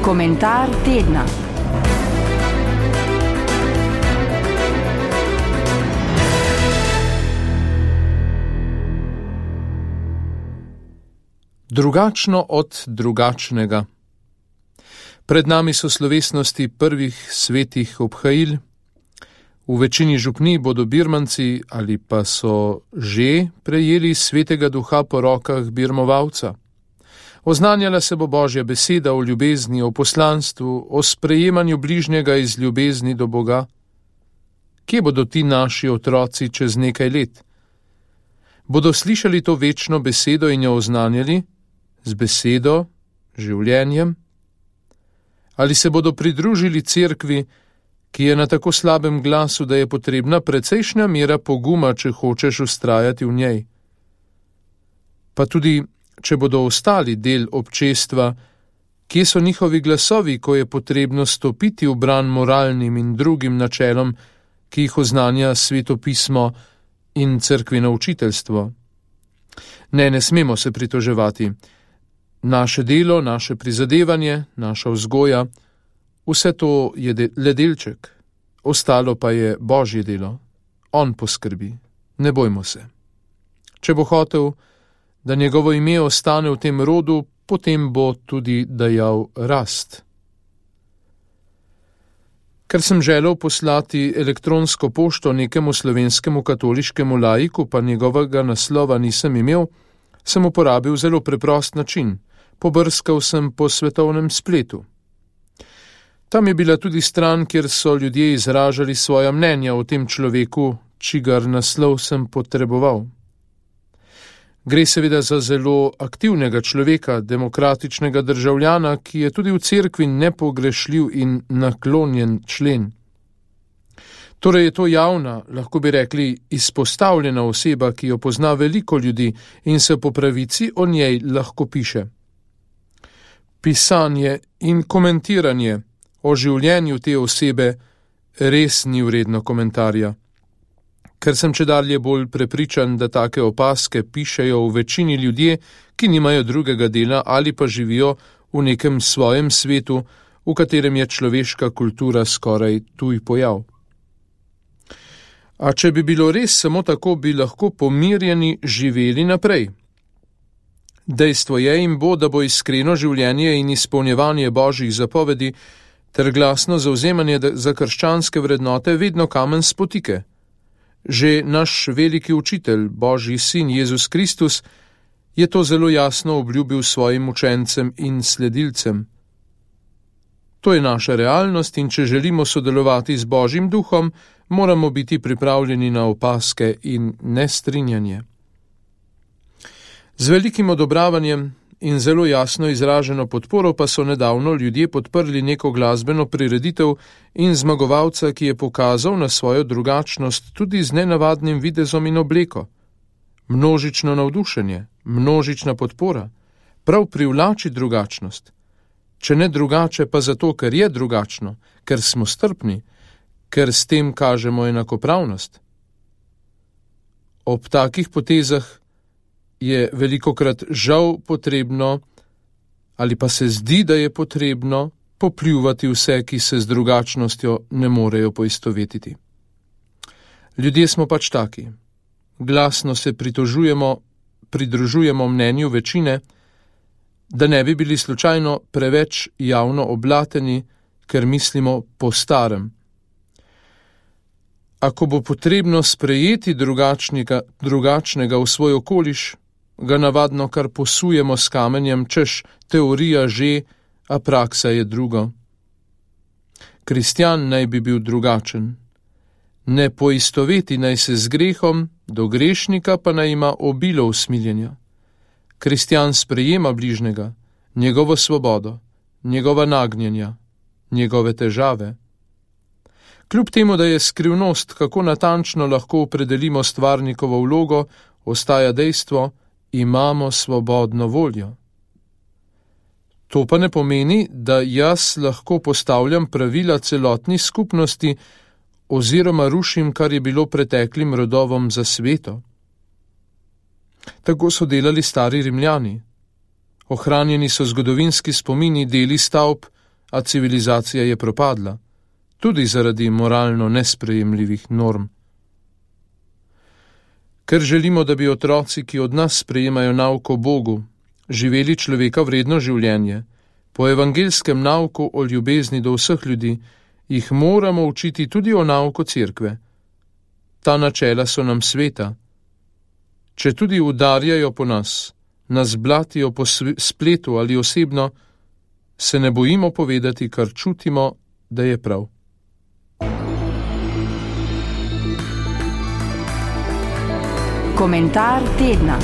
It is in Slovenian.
Komentar tedna. Drugačno od drugačnega. Pred nami so slovesnosti prvih svetih obhajil. V večini župnij bodo birmanci ali pa so že prejeli svetega duha po rokah birmovalca. Oznanjala se bo Božja beseda o ljubezni, o poslanstvu, o sprejemanju bližnjega iz ljubezni do Boga. Kje bodo ti naši otroci čez nekaj let? Bodo slišali to večno besedo in jo oznanjali? Z besedo, življenjem? Ali se bodo pridružili cerkvi, ki je na tako slabem glasu, da je potrebna precejšnja mera poguma, če hočeš vztrajati v njej? Pa tudi, če bodo ostali del občestva, kje so njihovi glasovi, ko je potrebno stopiti v bran moralnim in drugim načelom, ki jih oznanja svetopismo in cerkveno učiteljstvo? Ne smemo se pritoževati. Naše delo, naše prizadevanje, naša vzgoja, vse to je le delček, ostalo pa je Božje delo. On poskrbi, ne bojmo se. Če bo hotel, da njegovo ime ostane v tem rodu, potem bo tudi dajal rast. Ker sem želel poslati elektronsko pošto nekemu slovenskemu katoliškemu laiku, pa njegovega naslova nisem imel, sem uporabil zelo preprost način. Pobrskal sem po svetovnem spletu. Tam je bila tudi stran, kjer so ljudje izražali svoja mnenja o tem človeku, čigar naslov sem potreboval. Gre seveda za zelo aktivnega človeka, demokratičnega državljana, ki je tudi v cerkvi nepogrešljiv in naklonjen člen. Torej je to javna, lahko bi rekli, izpostavljena oseba, ki jo pozna veliko ljudi in se po pravici o njej lahko piše. Pisanje in komentiranje o življenju te osebe res ni vredno komentarja. Ker sem čedalje bolj prepričan, da take opaske pišejo v večini ljudje, ki nimajo drugega dela ali pa živijo v nekem svojem svetu, v katerem je človeška kultura skoraj tuj pojav. A če bi bilo res samo tako, bi lahko pomirjeni živeli naprej. Dejstvo je in bo, da bo iskreno življenje in izpolnjevanje Božjih zapovedi ter glasno zavzemanje za krščanske vrednote vedno kamen spotike. Že naš veliki učitelj, Božji sin Jezus Kristus, je to zelo jasno obljubil svojim učencem in sledilcem. To je naša realnost in če želimo sodelovati z Božjim duhom, moramo biti pripravljeni na opaske in nestrinjanje. Z velikim odobravanjem in zelo jasno izraženo podporo pa so nedavno ljudje podprli neko glasbeno prireditev in zmagovalca, ki je pokazal na svojo drugačnost tudi z nenavadnim videzom in obleko. Množično navdušenje, množična podpora, prav privlači drugačnost. Če ne drugače, pa zato, ker je drugačno, ker smo strpni, ker s tem kažemo enakopravnost. Ob takih potezah je velikokrat žal potrebno, ali pa se zdi, da je potrebno, popljuvati vse, ki se z drugačnostjo ne morejo poistovetiti. Ljudje smo pač taki. Glasno se pridružujemo mnenju večine, da ne bi bili slučajno preveč javno oblateni, ker mislimo po starem. Ako bo potrebno sprejeti drugačnega v svoj okoliš, ga navadno kar posujemo s kamenjem, češ teorija že, a praksa je drugo. Kristjan naj bi bil drugačen. Ne poistoveti naj se z grehom, do grešnika pa naj ima obilo usmiljenja. Kristjan sprejema bližnjega, njegovo svobodo, njegova nagnjenja, njegove težave. Kljub temu, da je skrivnost, kako natančno lahko opredelimo stvarnikovo vlogo, ostaja dejstvo, imamo svobodno voljo. To pa ne pomeni, da jaz lahko postavljam pravila celotni skupnosti oziroma rušim, kar je bilo preteklim rodovom za sveto. Tako so delali stari Rimljani. Ohranjeni so zgodovinski spomini, deli stavb, a civilizacija je propadla, tudi zaradi moralno nesprejemljivih norm. Ker želimo, da bi otroci, ki od nas sprejemajo nauk o Bogu, živeli človeka vredno življenje, po evangeljskem nauku o ljubezni do vseh ljudi, jih moramo učiti tudi o nauku cerkve. Ta načela so nam sveta. Če tudi udarjajo po nas, nas blatijo po spletu ali osebno, se ne bojimo povedati, kar čutimo, da je prav. Komentar tedna.